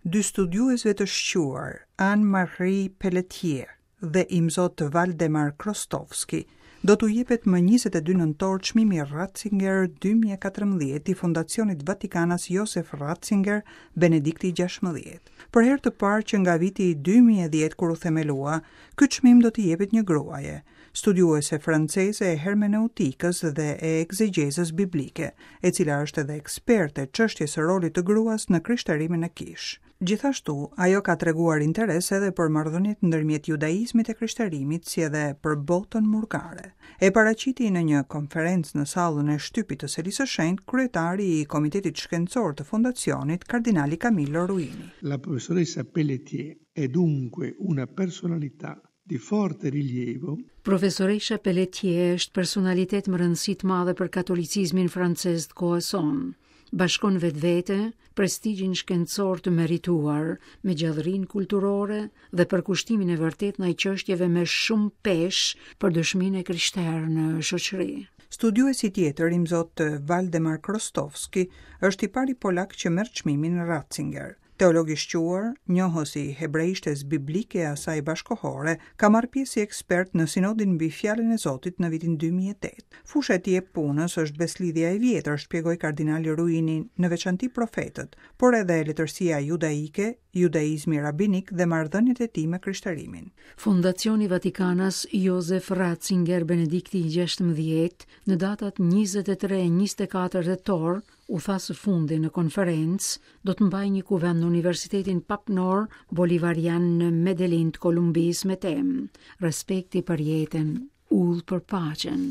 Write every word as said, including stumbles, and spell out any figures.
Dy studiuesve të shquar, Anne-Marie Pelletier dhe Imzot Valdemar Chrostowski, do t'u jepet më njëzet e dy nëntor çmimi Ratzinger dy mijë e katërmbëdhjetë i Fondacionit Vatikanas Josef Ratzinger Benedikti gjashtëmbëdhjetë. Për herë të parë që nga viti dy mijë e dhjetë, kur u themelua, ky çmim do t'i jepet një gruaje, studiuese franceze e hermeneutikës dhe e egzegjezës biblike, e cila është edhe eksperte e çështjes së rolit të gruas në krishterimin e kishë. Gjithashtu, ajo ka treguar interes edhe për marrëdhëniet ndërmjet judaizmit e krishterimit, si edhe për botën murgare. E paraqiti në një konferencë në sallën e shtypit të Selisë së Shenjtë kryetari i Komitetit Shkencor të Fondacionit, kardinali Camillo Ruini. La professoressa Pelletier è dunque una personalità di forte rilievo. Profesoresha Pelletier është personalitet me rëndësi të madhe për katolicizmin francez të kohës sonë. Bashkon vetvete, prestigjin shkencor të merituar me gjallërinë kulturore dhe përkushtimin e vërtet ndaj çështjeve me shumë peshë për dëshminë e krishterë në shoqëri. Studiuesi tjetër, Imzot Valdemar Chrostowski, është i pari polak që merr çmimin Ratzinger. Teolog i shquar, njohës i hebreishtes biblike e asaj bashkohore, ka marrë pjesë si ekspert në sinodin mbi fjalën e Zotit në vitin dy mijë e tetë. Fusha e tij e punës është beslidhja e vjetër, shpjegoi kardinali Ruini, në veçanti profetët, por edhe letërsia judaike, judaizmi rabinik dhe marrëdhëniet e tij me krishterimin. Fondacioni Vatikanas Josef Ratzinger Benedikti gjashtëmbëdhjetë në datat njëzet e tre e njëzet e katër tetor, u tha së fundi në konferencë, do të mbajë një kuvend në Universitetin Papnor Bolivarian në Medellin të Kolumbisë me temë Respekti për jetën, udhë për paqen.